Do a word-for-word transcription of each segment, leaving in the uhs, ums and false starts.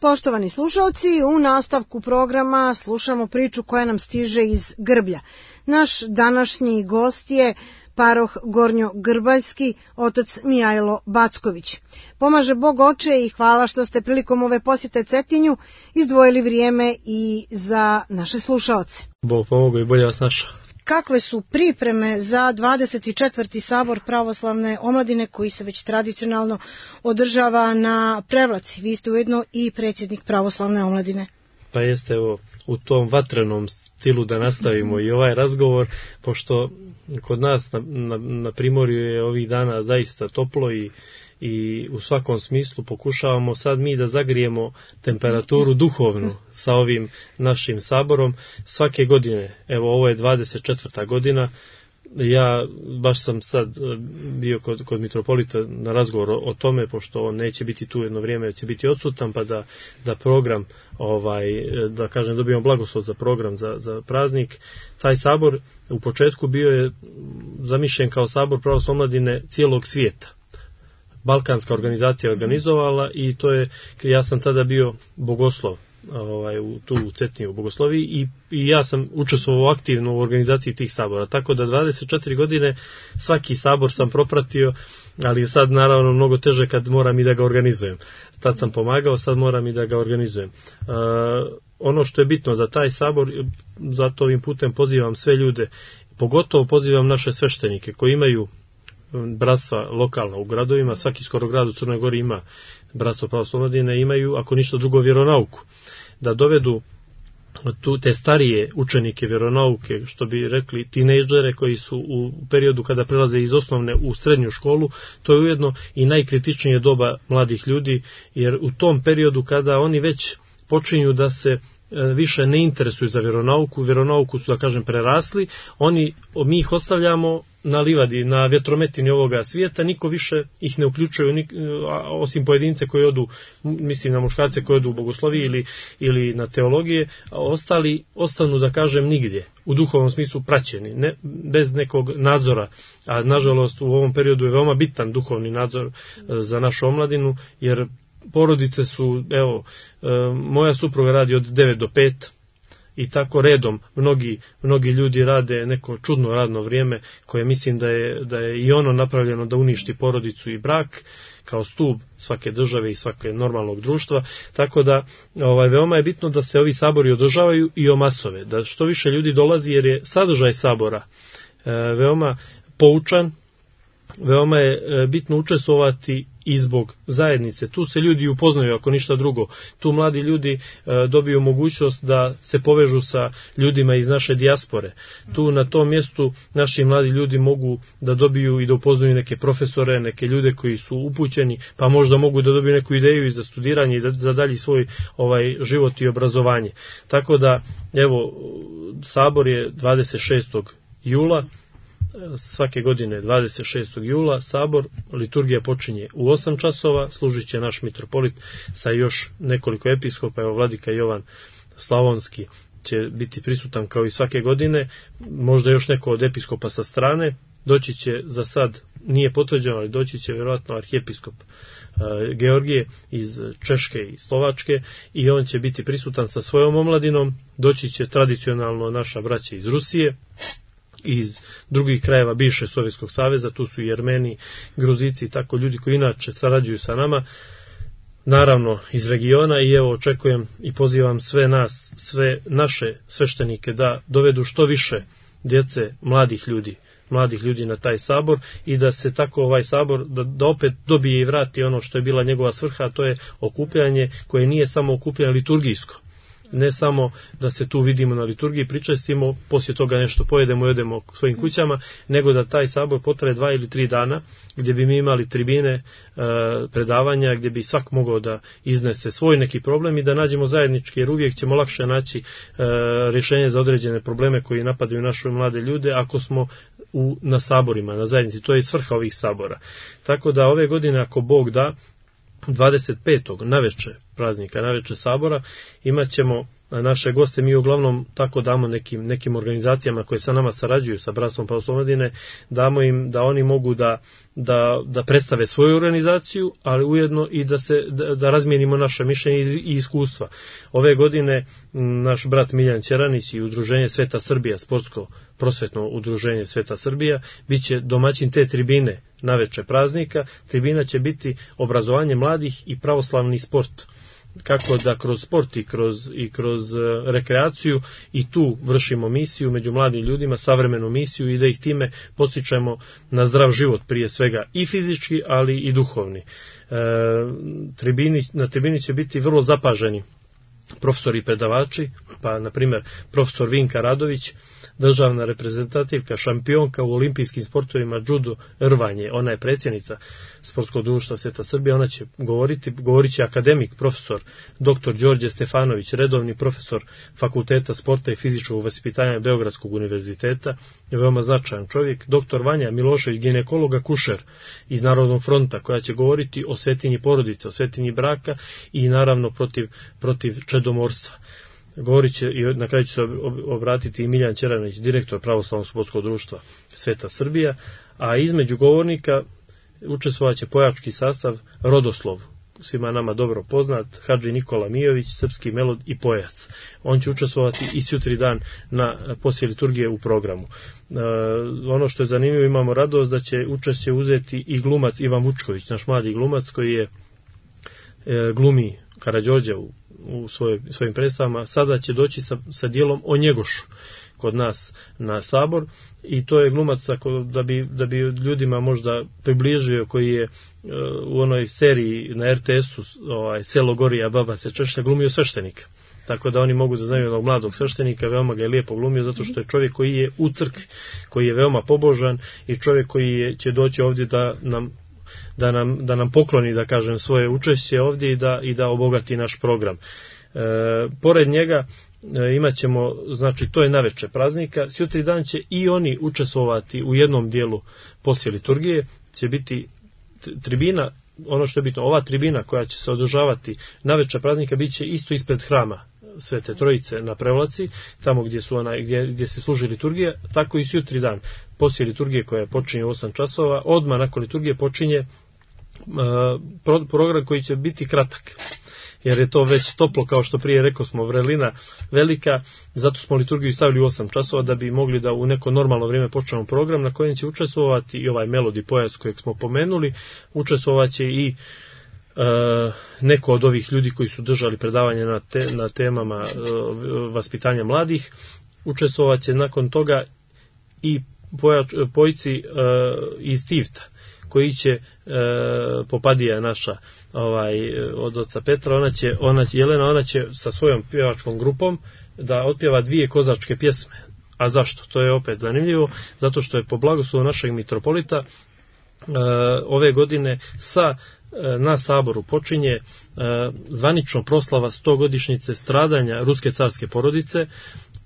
Poštovani slušalci, u nastavku programa slušamo priču koja nam stiže iz Grblja. Naš današnji gost je paroh Gornjo-Grbaljski, otac Mijajlo Backović. Pomaže Bog oče i hvala što ste prilikom ove posjete Cetinju izdvojili vrijeme i za naše slušaoce. Bog pomogu i bolje vas našao. Kakve su pripreme za dvadeset četvrti sabor pravoslavne omladine koji se već tradicionalno održava na Prevlaci? Vi ste ujedno i predsjednik pravoslavne omladine. Pa jeste, evo, u tom vatrenom stilu da nastavimo i ovaj razgovor, pošto kod nas na, na, na Primorju je ovih dana zaista toplo i i u svakom smislu pokušavamo sad mi da zagrijemo temperaturu duhovnu sa ovim našim saborom svake godine. Evo, ovo je dvadeset četvrta godina. Ja baš sam sad bio kod, kod mitropolita na razgovor o, o tome, pošto on neće biti tu jedno vrijeme, će biti odsutan, pa da, da program, ovaj, da kažem, dobijemo blagoslov za program za, za praznik. Taj sabor u početku bio je zamišljen kao sabor pravoslavne omladine cijelog svijeta. Balkanska organizacija organizovala i to je, ja sam tada bio bogoslov ovaj, u, tu u Cetinju u bogosloviji i, i ja sam učestvovao aktivno u organizaciji tih sabora, tako da dvadeset četiri godine svaki sabor sam propratio, ali je sad naravno mnogo teže kad moram i da ga organizujem. Tad sam pomagao, sad moram i da ga organizujem. Uh, ono što je bitno za taj sabor, zato ovim putem pozivam sve ljude, pogotovo pozivam naše sveštenike koji imaju bratstva lokalna u gradovima, svaki skoro grad u Crnoj Gori ima bratstvo pravoslavne omladine, imaju, ako ništa drugo, vjeronauku. Da dovedu tu te starije učenike vjeronauke, što bi rekli tinejdžere koji su u periodu kada prelaze iz osnovne u srednju školu, to je ujedno i najkritičnije doba mladih ljudi, jer u tom periodu kada oni već počinju da se više ne interesuju za vjeronauku, vjeronauku su, da kažem, prerasli, oni, mi ih ostavljamo na livadi, na vjetrometini ovoga svijeta, niko više ih ne uključuje, osim pojedince koji odu, mislim na muškarce koji odu u bogosloviji ili, ili na teologije, a ostali ostanu, da kažem, nigdje, u duhovnom smislu praćeni, ne, bez nekog nadzora, a nažalost u ovom periodu je veoma bitan duhovni nadzor za našu omladinu, jer porodice su, evo, moja supruga radi od devet do pet i tako redom, mnogi, mnogi ljudi rade neko čudno radno vrijeme koje mislim da je, da je i ono napravljeno da uništi porodicu i brak kao stub svake države i svake normalnog društva, tako da ovaj, veoma je bitno da se ovi sabori održavaju i o masove, da što više ljudi dolazi jer je sadržaj sabora e, veoma poučan, veoma je bitno učestvovati i zbog zajednice. Tu se ljudi upoznaju, ako ništa drugo. Tu mladi ljudi e, dobiju mogućnost da se povežu sa ljudima iz naše dijaspore. Tu na tom mjestu naši mladi ljudi mogu da dobiju i da upoznaju neke profesore, neke ljude koji su upućeni, pa možda mogu da dobiju neku ideju i za studiranje i da, za dalji svoj ovaj život i obrazovanje. Tako da, evo, sabor je dvadeset šestog jula, svake godine dvadeset šestog jula sabor, liturgija počinje u osam časova, služit će naš mitropolit sa još nekoliko episkopa, evo vladika Jovan Slavonski će biti prisutan kao i svake godine, možda još neko od episkopa sa strane, doći će za sad, nije potvrđeno, ali doći će vjerojatno arhijepiskop uh, Georgije iz Češke i Slovačke i on će biti prisutan sa svojom omladinom, doći će tradicionalno naša braća iz Rusije, iz drugih krajeva bivšeg Sovjetskog saveza, tu su i Jermeni, Gruzici i tako ljudi koji inače sarađuju sa nama, naravno iz regiona i evo očekujem i pozivam sve nas, sve naše sveštenike da dovedu što više djece, mladih ljudi, mladih ljudi na taj sabor i da se tako ovaj sabor, da, da opet dobije i vrati ono što je bila njegova svrha, a to je okupljanje koje nije samo okupljanje liturgijsko. Ne samo da se tu vidimo na liturgiji, pričestimo, poslije toga nešto pojedemo i odemo svojim kućama, nego da taj sabor potraje dva ili tri dana, gdje bi mi imali tribine, e, predavanja, gdje bi svak mogao da iznese svoj neki problem i da nađemo zajednički, jer uvijek ćemo lakše naći e, rješenje za određene probleme koji napadaju naše mlade ljude ako smo u, na saborima, na zajednici. To je svrha ovih sabora. Tako da ove godine, ako Bog da, dvadeset petog naveče praznika, naveče sabora, imat ćemo naše goste mi uglavnom tako damo nekim, nekim organizacijama koje sa nama sarađuju sa Bratstvom Pravoslavne omladine, damo im da oni mogu da, da, da predstave svoju organizaciju, ali ujedno i da, se, da, da razmijenimo naše mišljenje i iskustva. Ove godine naš brat Miljan Ćeranić i udruženje Sveta Srbija, sportsko prosvetno udruženje Sveta Srbija, bit će domaćin te tribine naveče praznika. Tribina će biti obrazovanje mladih i pravoslavni sport. Kako da kroz sport i kroz, i kroz rekreaciju i tu vršimo misiju među mladim ljudima, savremenu misiju, i da ih time postičemo na zdrav život prije svega i fizički, ali i duhovni. E, tribini, na tribini će biti vrlo zapaženi profesori i predavači, pa na primjer profesor Vinka Radović, državna reprezentativka, šampionka u olimpijskim sportovima judo rvanje, ona je predsjednica Sportskog društva Sveta Srbija, ona će govoriti, govorit će akademik profesor doktor Đorđe Stefanović, redovni profesor Fakulteta sporta i fizičkog vaspitanja Beogradskog univerziteta, veoma značajan čovjek, doktor Vanja Milošević, ginekologa kušer iz Narodnog fronta, koja će govoriti o svetinji porodice, o svetinji braka i naravno protiv, protiv čedomorstva. Govorit će i na kraju će se obratiti i Miljan Ćeranić, direktor Pravoslavnog sportskog društva Sveta Srbija, a između govornika učestvovat će pojački sastav Rodoslov, svima nama dobro poznat, Hadži Nikola Mijović, srpski melod i pojac. On će učestvovati i sutri dan na poslije liturgije u programu. E, ono što je zanimljivo, imamo radost da će učešće uzeti i glumac Ivan Vučković, naš mladi glumac koji je e, glumi Karađorđa u, u svoj, svojim predstavama. Sada će doći sa, sa dijelom o Njegošu kod nas na sabor, i to je glumac ako, da, bi, da bi ljudima možda približio, koji je uh, u onoj seriji na er te esu ovaj, Selo gori, a baba se češlja, glumio sveštenika. Tako da oni mogu da znaju jednog mladog sveštenika, veoma ga je lijepo glumio, zato što je čovjek koji je u crkvi, koji je veoma pobožan i čovjek koji je, će doći ovdje da nam Da nam, da nam pokloni, da kažem, svoje učešće ovdje i da, i da obogati naš program. E, pored njega e, imat ćemo, znači to je naveče praznika, sutri dan će i oni učestvovati u jednom dijelu poslije liturgije, će biti tribina, ono što je bitno, ova tribina koja će se održavati naveče praznika bit će isto ispred hrama Svete Trojice na Prevlaci, tamo gdje su ona, gdje, gdje se služi liturgija, tako i sutri dan poslije liturgije koja počinje u osam časova, odmah nakon liturgije počinje uh, program koji će biti kratak, jer je to već toplo, kao što prije rekao smo, vrelina velika, zato smo liturgiju stavili u osam časova da bi mogli da u neko normalno vrijeme počnemo program na kojem će učestvovati i ovaj melodi pojac kojeg smo pomenuli, učestvovat će i Uh, neko od ovih ljudi koji su držali predavanje na, te, na temama uh, vaspitanja mladih. Učestvovat će nakon toga i pojač, pojci uh, iz Tivta, koji će uh, Popadija naša ovaj, od oca Petra, ona će, ona će, Jelena, ona će sa svojom pjevačkom grupom da otpjeva dvije kozačke pjesme. A zašto? To je opet zanimljivo, zato što je po blagoslovu našeg mitropolita uh, ove godine sa na saboru počinje e, zvanično proslava stogodišnjice stradanja ruske carske porodice,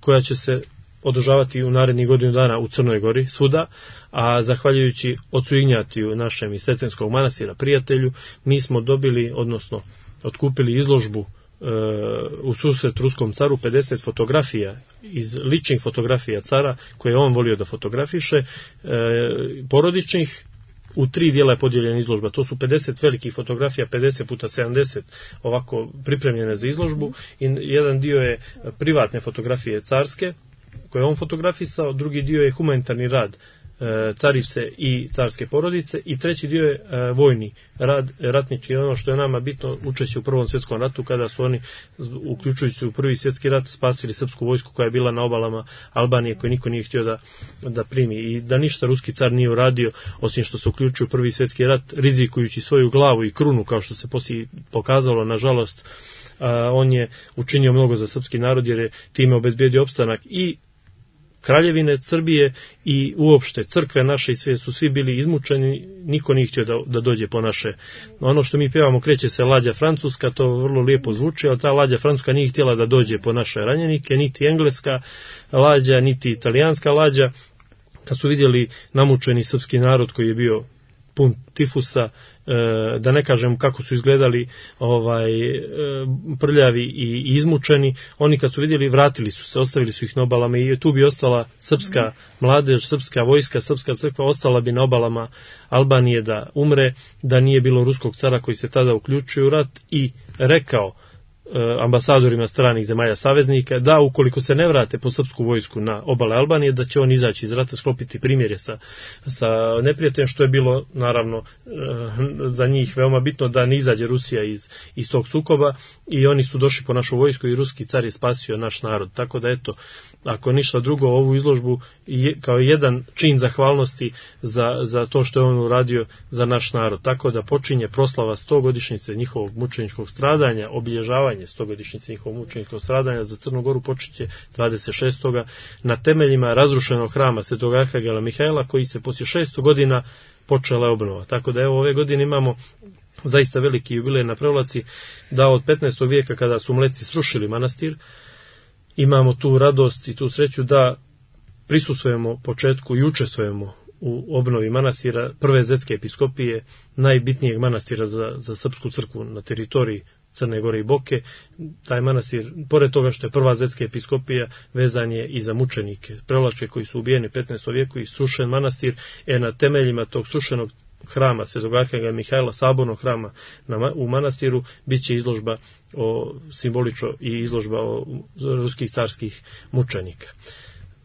koja će se održavati u narednih godinu dana u Crnoj Gori svuda, a zahvaljujući ocu Ignjatiju, našem iz Sretenskog manastira prijatelju, mi smo dobili, odnosno otkupili izložbu e, u susret ruskom caru pedeset fotografija iz ličnih fotografija cara koje je on volio da fotografiše, e, porodičnih. U tri dijela je podijeljena izložba, to su pedeset velikih fotografija, pedeset puta sedamdeset ovako pripremljene za izložbu, i jedan dio je privatne fotografije carske koje je on fotografisao, drugi dio je humanitarni rad carice i carske porodice, i treći dio je vojni rad, ratnički, ono što je nama bitno, učešće u Prvom svjetskom ratu, kada su oni, uključujući u Prvi svjetski rat, spasili srpsku vojsku koja je bila na obalama Albanije, koju niko nije htio da, da primi, i da ništa ruski car nije uradio osim što se uključio u Prvi svjetski rat, rizikujući svoju glavu i krunu, kao što se poslije pokazalo, nažalost. A, on je učinio mnogo za srpski narod, jer je time obezbijedio opstanak i Kraljevine Srbije i uopšte crkve naše, i sve su svi bili izmučeni, niko nije htio da, da dođe po naše. Ono što mi pjevamo, kreće se lađa francuska, to vrlo lijepo zvuči, ali ta lađa francuska nije htjela da dođe po naše ranjenike, niti engleska lađa, niti italijanska lađa. Kad su vidjeli namučeni srpski narod koji je bio pun tifusa, da ne kažem kako su izgledali ovaj prljavi i izmučeni. Oni kad su vidjeli, vratili su se, ostavili su ih na obalama i tu bi ostala srpska mladež, srpska vojska, srpska crkva, ostala bi na obalama Albanije da umre, da nije bilo ruskog cara koji se tada uključio u rat i rekao ambasadorima stranih zemalja saveznika da ukoliko se ne vrate po srpsku vojsku na obale Albanije, da će on izaći iz rata, sklopiti primjerje sa, sa neprijateljem, što je bilo naravno za njih veoma bitno da ne izađe Rusija iz, iz tog sukoba, i oni su došli po našu vojsku i ruski car je spasio naš narod. Tako da eto, ako ništa drugo, ovu izložbu je, kao jedan čin zahvalnosti za, za to što je on uradio za naš narod. Tako da počinje proslava stogodišnjice njihovog mučeničkog stradanja, obilježavanje stogodišnjice njihovog mučeničkog stradanja za Crnu Goru počinje dvadeset šestog na temeljima razrušenog hrama Svetog Arhangela Mihajla, koji se poslije šesto godina počela obnova. Tako da evo, ove godine imamo zaista veliki jubilej na Prevlaci, da od petnaestog vijeka kada su Mleci srušili manastir, imamo tu radost i tu sreću da prisustvujemo početku i učestvujemo u obnovi manastira prve zetske episkopije, najbitnijeg manastira za, za srpsku crkvu na teritoriji Crne Gore i Boke. Taj manastir, pored toga što je prva zetska episkopija, vezan je i za mučenike Prevlačke koji su ubijeni u petnaestom vijeku, i srušen manastir, e na temeljima tog srušenog hrama Svetog Arhangela Mihajla, sabornog hrama na, u manastiru, bit će izložba o, simbolično i izložba o ruskih carskih mučenika.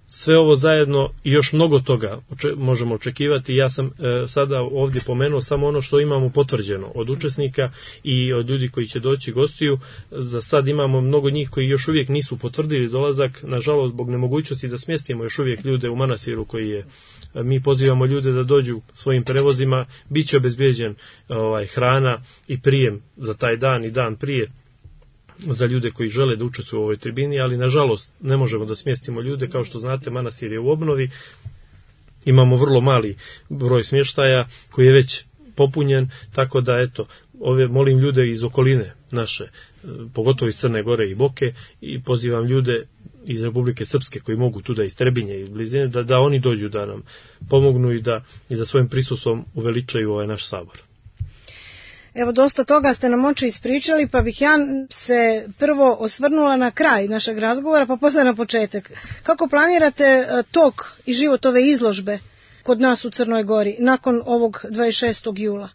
Sve ovo zajedno i još mnogo toga oče, možemo očekivati. Ja sam e, sada ovdje pomenuo samo ono što imamo potvrđeno od učesnika i od ljudi koji će doći gostiju. Za sad imamo mnogo njih koji još uvijek nisu potvrdili dolazak, nažalost zbog nemogućnosti da smjestimo još uvijek ljude u manastiru koji je. Mi pozivamo ljude da dođu svojim prevozima, bit će obezbijeđen ovaj, hrana i prijem za taj dan i dan prije za ljude koji žele da učestvuju u ovoj tribini, ali nažalost ne možemo da smjestimo ljude. Kao što znate, manastir je u obnovi, imamo vrlo mali broj smještaja koji je već popunjen, tako da eto, ove molim ljude iz okoline naše, pogotovo iz Crne Gore i Boke, i pozivam ljude iz Republike Srpske koji mogu tu da iz Trebinje i blizine, da, da oni dođu da nam pomognu i da, i da svojim prisustvom uveličaju ovaj naš sabor. Evo, dosta toga ste nam oči ispričali, pa bih ja se prvo osvrnula na kraj našeg razgovora, pa posle na početak. Kako planirate tok i život ove izložbe kod nas u Crnoj Gori nakon ovog dvadeset šestog jula?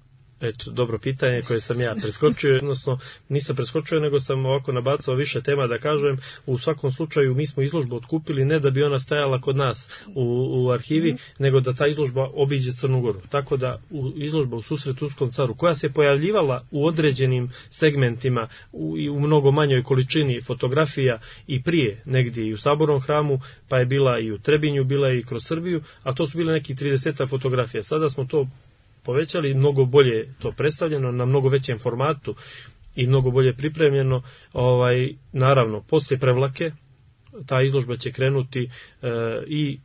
Eto, dobro pitanje koje sam ja preskočio, odnosno nisam preskočio, nego sam ovako nabacao više tema da kažem. U svakom slučaju mi smo izložbu otkupili ne da bi ona stajala kod nas u, u arhivi, mm. nego da ta izložba obiđe Crnu Goru. Tako da u, izložba u susret Turskom caru, koja se pojavljivala u određenim segmentima u, i u mnogo manjoj količini fotografija i prije, negdje i u Sabornom hramu, pa je bila i u Trebinju, bila je i kroz Srbiju, a to su bile neki trideset fotografija. Sada smo to povećali, mnogo bolje to predstavljeno, na mnogo većem formatu i mnogo bolje pripremljeno. Ovaj, naravno, poslije Prevlake ta izložba će krenuti e, i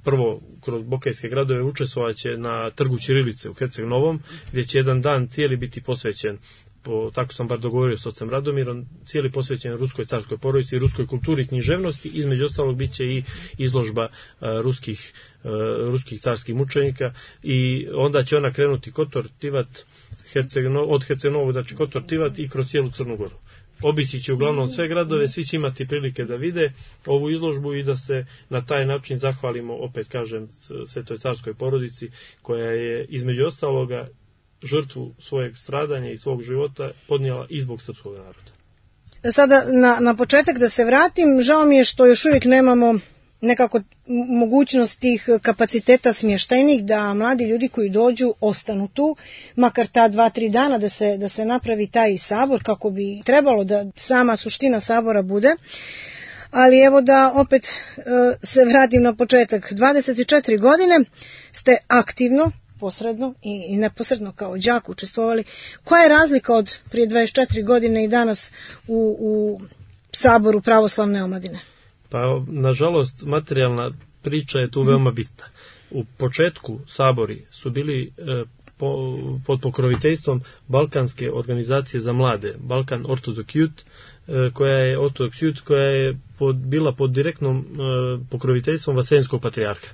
prvo kroz bokejske gradove, učestvovaće na trgu Ćirilice u Herceg Novom, gdje će jedan dan cijeli biti posvećen, po, tako sam bar dogovorio s ocem Radomirom, cijeli posvećen ruskoj carskoj porodici i ruskoj kulturi i književnosti. Između ostalog bit će i izložba uh, ruskih, uh, ruskih carskih mučenika, i onda će ona krenuti Kotor, Tivat, Herceg, od Herceg Novog, znači Kotor, Tivat i kroz cijelu Crnu Goru. Obići će uglavnom sve gradove, svi će imati prilike da vide ovu izložbu i da se na taj način zahvalimo, opet kažem, Svetoj carskoj porodici, koja je između ostaloga žrtvu svojeg stradanja i svog života podnijela i zbog srpskog naroda. Sada na, na početak da se vratim, žao mi je što još uvijek nemamo nekako mogućnost tih kapaciteta smještajnih, da mladi ljudi koji dođu ostanu tu, makar ta dva, tri dana da se, da se napravi taj sabor kako bi trebalo da sama suština sabora bude. Ali evo da opet e, se vratim na početak. dvadeset četiri godine ste aktivno, posredno i, i neposredno kao đak učestvovali. Koja je razlika od prije dvadeset četiri godine i danas u, u saboru pravoslavne omladine? Pa, nažalost, materijalna priča je tu veoma bitna. U početku sabori su bili e, po, pod pokroviteljstvom Balkanske organizacije za mlade, Balkan Orthodox Youth, e, koja je Orthodox Youth, koja je pod, bila pod direktnom e, pokroviteljstvom Vaseljenskog patrijarha.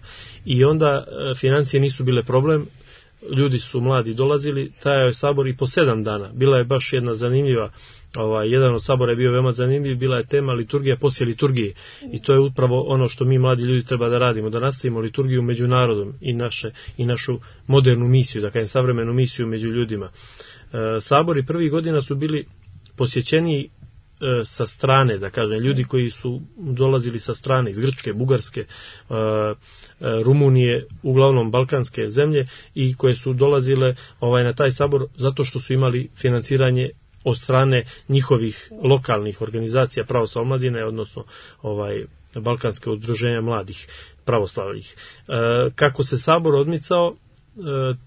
I onda e, financije nisu bile problem. ljudi su mladi dolazili, trajao je sabor i po sedam dana. Bila je baš jedna zanimljiva, ovaj, jedan od sabora je bio veoma zanimljiv, bila je tema liturgija poslije liturgije. I to je upravo ono što mi mladi ljudi treba da radimo, da nastavimo liturgiju među narodom i, naše, i našu modernu misiju, da kažem savremenu misiju među ljudima. E, sabori prvih godina su bili posjećeni sa strane, da kažem, ljudi koji su dolazili sa strane, iz Grčke, Bugarske, Rumunije, uglavnom balkanske zemlje, i koje su dolazile ovaj, na taj sabor zato što su imali financiranje od strane njihovih lokalnih organizacija pravoslavne omladine, odnosno ovaj, balkanske udruženja mladih pravoslavnih. Kako se sabor odmicao,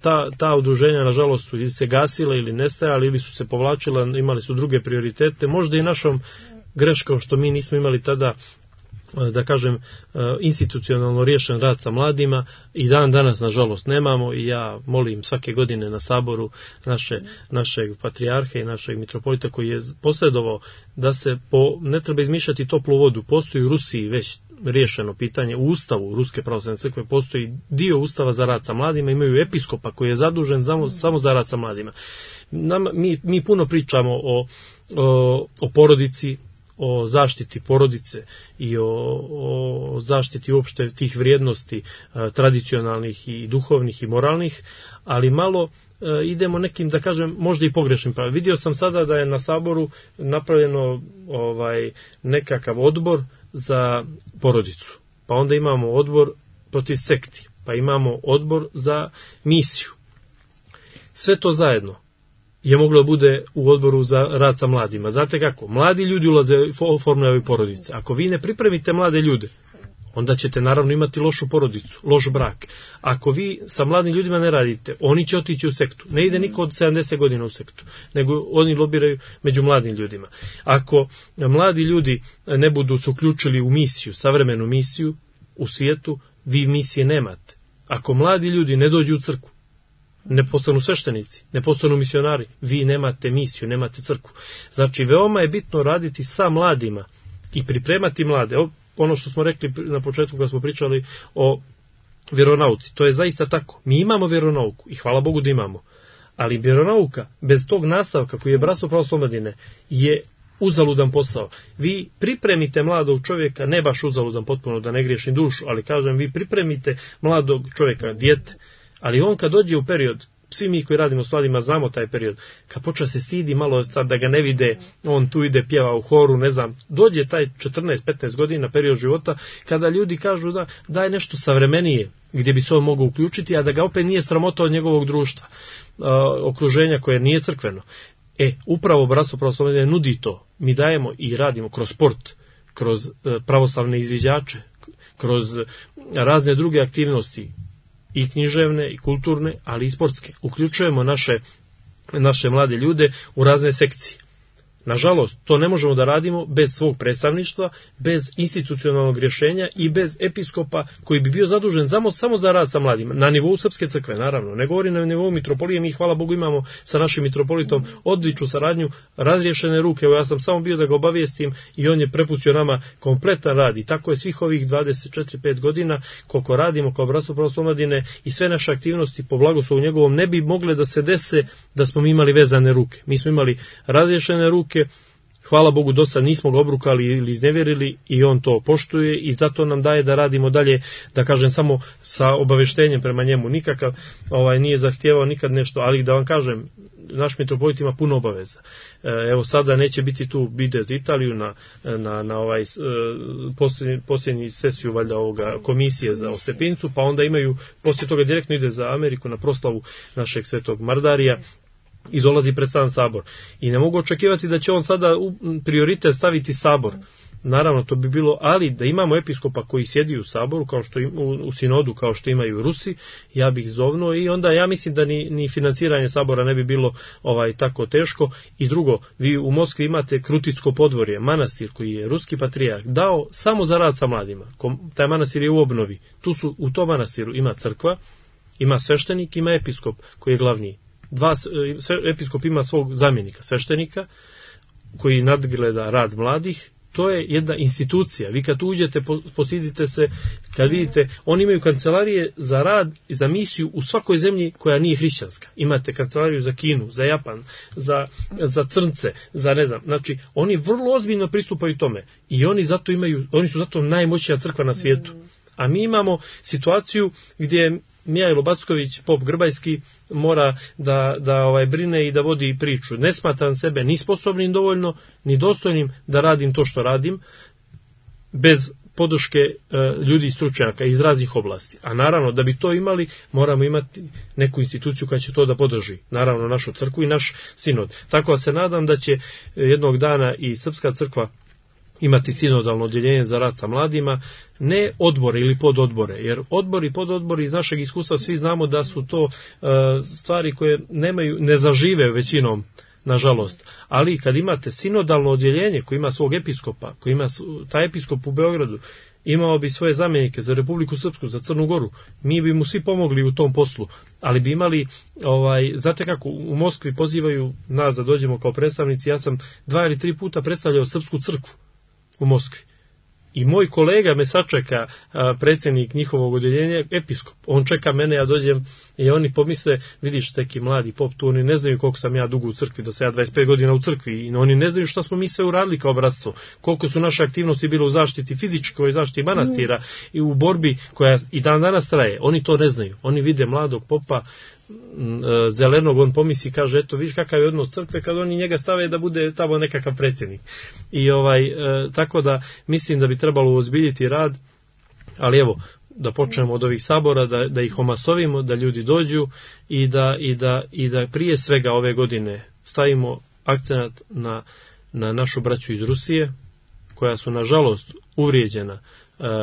ta, ta udruženja nažalost su ili se gasila ili nestajala ili su se povlačila, imali su druge prioritete, možda i našom greškom što mi nismo imali tada, da kažem, institucionalno riješen rad sa mladima, i dan danas nažalost nemamo, i ja molim svake godine na saboru naše, našeg patrijarha i našeg mitropolita koji je posredovao da se po, ne treba izmišljati toplu vodu, postoji u Rusiji već riješeno pitanje, u ustavu Ruske pravoslavne crkve postoji dio ustava za rad sa mladima, imaju episkopa koji je zadužen samo, samo za rad sa mladima. Nam, mi, mi puno pričamo o, o, o porodici, o zaštiti porodice i o, o zaštiti uopšte tih vrijednosti a, tradicionalnih i duhovnih i moralnih, ali malo a, idemo nekim, da kažem, možda i pogrešnim pravima. Vidio sam sada da je na saboru napravljeno ovaj, nekakav odbor za porodicu, pa onda imamo odbor protiv sekti, pa imamo odbor za misiju. Sve to zajedno je moglo da bude u odboru za rad sa mladima. Znate kako? Mladi ljudi ulaze u formulavaju porodice. Ako vi ne pripremite mlade ljude, onda ćete naravno imati lošu porodicu, loš brak. Ako vi sa mladim ljudima ne radite, oni će otići u sektu. Ne ide niko od sedamdeset godina u sektu, nego oni lobiraju među mladim ljudima. Ako mladi ljudi ne budu se uključili u misiju, savremenu misiju u svijetu, vi misije nemate. Ako mladi ljudi ne dođu u crkvu, ne postanu sveštenici, ne postanu misionari, vi nemate misiju, nemate crkvu. Znači, veoma je bitno raditi sa mladima i pripremati mlade. Ono što smo rekli na početku kad smo pričali o vjeronauci, to je zaista tako. Mi imamo vjeronauku i hvala Bogu da imamo, ali vjeronauka bez tog nastavka koji je Bratstvo pravoslavne omladine je uzaludan posao. Vi pripremite mladog čovjeka, ne baš uzaludan potpuno da ne griješim dušu, ali kažem, vi pripremite mladog čovjeka, dijete, ali on kad dođe u period, svi mi koji radimo s mladima znamo taj period, kad počne se stidi malo da ga ne vide, on tu ide, pjeva u horu, ne znam, dođe taj četrnaest petnaest godina period života kada ljudi kažu da daj nešto savremenije gdje bi se on mogao uključiti, a da ga opet nije sramota od njegovog društva, okruženja koje nije crkveno. E, upravo Bratstvo pravoslavne omladine nudi to. Mi dajemo i radimo kroz sport, kroz pravoslavne izviđače, kroz razne druge aktivnosti, i književne, i kulturne, ali i sportske. Uključujemo naše, naše mlade ljude u razne sekcije. Nažalost, to ne možemo da radimo bez svog predstavništva, bez institucionalnog rješenja i bez episkopa koji bi bio zadužen samo, samo za rad sa mladima. Na nivou Srpske crkve, naravno. Ne govorim na nivou mitropolije, mi hvala Bogu imamo sa našim mitropolitom odličnu saradnju, razriješene ruke. Evo, ja sam samo bio da ga obavijestim i on je prepustio nama kompletan rad. I tako je svih ovih dvadeset četiri pet godina koliko radimo kao Bratstvo pravoslavne omladine i sve naše aktivnosti po blagoslovu njegovom ne bi mogle da se dese da smo mi imali vezane ruke. Mi smo imali razriješene ruke. Hvala Bogu, do sad nismo ga obrukali ili iznevjerili i on to poštuje i zato nam daje da radimo dalje, da kažem, samo sa obaveštenjem prema njemu. Nikakav ovaj, nije zahtijevao nikad nešto, ali da vam kažem, naš mitropolit ima puno obaveza. Evo sada neće biti tu bide za Italiju na, na, na ovaj posljednji, posljednji sesiju valjda ovoga komisije za Ostepincu, pa onda imaju, poslije toga direktno ide za Ameriku na proslavu našeg svetog Mardarija i dolazi pred sam sabor. I ne mogu očekivati da će on sada u prioritet staviti sabor. Naravno, to bi bilo, ali da imamo episkopa koji sjedi u saboru, kao što im, u, u sinodu, kao što imaju Rusi, ja bih zovnuo i onda ja mislim da ni, ni financiranje sabora ne bi bilo ovaj tako teško. I drugo, vi u Moskvi imate Kruticko podvorje, manastir koji je ruski patrijarh dao samo za rad sa mladima. Taj manastir je u obnovi. Tu su, u tom manastiru ima crkva, ima sveštenik, ima episkop koji je glavni. Dva, episkop ima svog zamjenika, sveštenika, koji nadgleda rad mladih to je jedna institucija. Vi kad uđete, posidite se, kad vidite, oni imaju kancelarije za rad i za misiju u svakoj zemlji koja nije hrišćanska. Imate kancelariju za Kinu, za Japan, za, za crnce, za ne znam. Znači, oni vrlo ozbiljno pristupaju tome i oni zato imaju, oni su zato najmoćnija crkva na svijetu. A mi imamo situaciju gdje Mijajlo Backović, pop Grbajski, mora da, da ovaj, brine i da vodi priču. Ne smatram sebe ni sposobnim dovoljno, ni dostojnim da radim to što radim, bez podrške e, ljudi i stručnjaka iz raznih oblasti. A naravno, da bi to imali, moramo imati neku instituciju koja će to da podrži. Naravno, našu crkvu i naš sinod. Tako da se nadam da će jednog dana i Srpska crkva imati sinodalno odjeljenje za rad sa mladima, ne odbore ili pododbore, jer odbori i pododbori iz našeg iskustva svi znamo da su to uh, stvari koje nemaju, ne zažive većinom, nažalost. Ali kad imate sinodalno odjeljenje koji ima svog episkopa, koji ima taj episkop u Beogradu, imao bi svoje zamjenike za Republiku Srpsku, za Crnu Goru, mi bi mu svi pomogli u tom poslu, ali bi imali, ovaj, znate kako, u Moskvi pozivaju nas da dođemo kao predstavnici, ja sam dva ili tri puta predstavljao Srpsku crkvu u Moskvi. I moj kolega me sačeka, predsjednik njihovog odjeljenja, episkop. On čeka mene, ja dođem i oni pomisle, vidiš neki mladi pop tu, oni ne znaju koliko sam ja dugo u crkvi, da sam ja dvadeset pet godina u crkvi, i oni ne znaju šta smo mi sve uradili kao bratstvo, koliko su naše aktivnosti bile u zaštiti fizičkoj, zaštiti manastira mm. i u borbi koja i dan danas traje. Oni to ne znaju. Oni vide mladog popa zelenog, on pomisli, kaže, eto, viš kakav je odnos crkve kad oni njega stave da bude tamo nekakav predsjednik. I ovaj, e, tako da mislim da bi trebalo ozbiljiti rad, ali evo, da počnemo od ovih sabora, da, da ih omasovimo, da ljudi dođu i da, i da, i da prije svega ove godine stavimo akcenat na, na našu braću iz Rusije, koja su nažalost uvrijeđena e,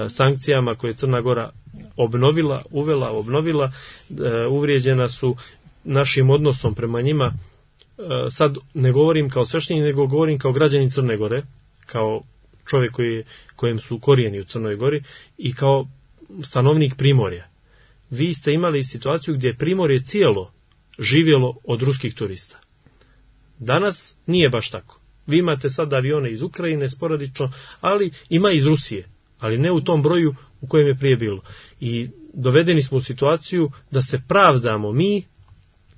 sankcijama koje Crna Gora obnovila, uvela, obnovila, e, uvrijeđena su našim odnosom prema njima. E, sad ne govorim kao sveštenik, nego govorim kao građanin Crne Gore, kao čovjek koji, kojem su korijeni u Crnoj Gori i kao stanovnik Primorja. Vi ste imali situaciju gdje je Primorje cijelo živjelo od ruskih turista. Danas nije baš tako. Vi imate sad avione iz Ukrajine sporadično, ali ima iz Rusije, ali ne u tom broju u kojem je prije bilo. I dovedeni smo u situaciju da se pravdamo mi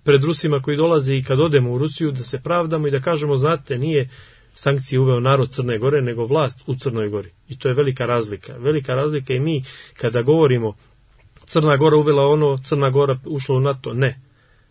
pred Rusima koji dolaze i kad odemo u Rusiju, da se pravdamo i da kažemo, znate, nije sankcije uveo narod Crne Gore, nego vlast u Crnoj Gori. I to je velika razlika. Velika razlika i mi kada govorimo Crna Gora uvela ono, Crna Gora ušla u NATO. Ne.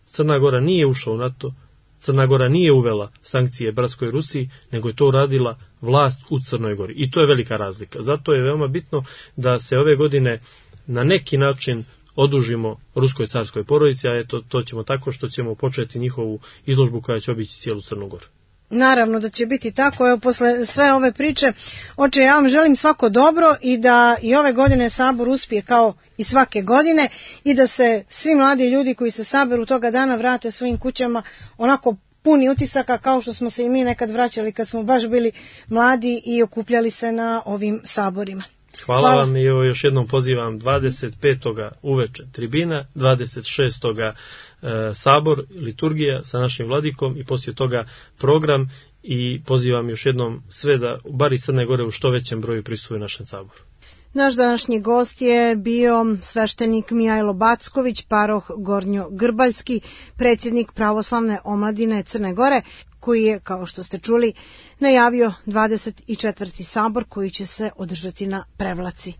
Crna Gora nije ušla u NATO. Crna Gora nije uvela sankcije bratskoj Rusiji, nego je to uradila vlast u Crnoj Gori. I to je velika razlika. Zato je veoma bitno da se ove godine na neki način odužimo ruskoj carskoj porodici, a eto, to ćemo tako što ćemo početi njihovu izložbu koja će obići cijelu Crnu Goru. Naravno da će biti tako. Evo, posle sve ove priče, oče, ja vam želim svako dobro i da i ove godine sabor uspije kao i svake godine i da se svi mladi ljudi koji se saberu toga dana vrate svojim kućama onako puni utisaka kao što smo se i mi nekad vraćali kad smo baš bili mladi i okupljali se na ovim saborima. Hvala, Hvala vam i još jednom pozivam dvadeset petoga uveče tribina, dvadeset šestoga E, sabor, liturgija sa našim vladikom i poslije toga program i pozivam još jednom sve da bar iz Crne Gore u što većem broju prisustvuju našem saboru. Naš današnji gost je bio sveštenik Mijajlo Backović, paroh Gornjo Grbaljski, predsjednik pravoslavne omladine Crne Gore, koji je, kao što ste čuli, najavio dvadeset četvrti sabor koji će se održati na Prevlaci.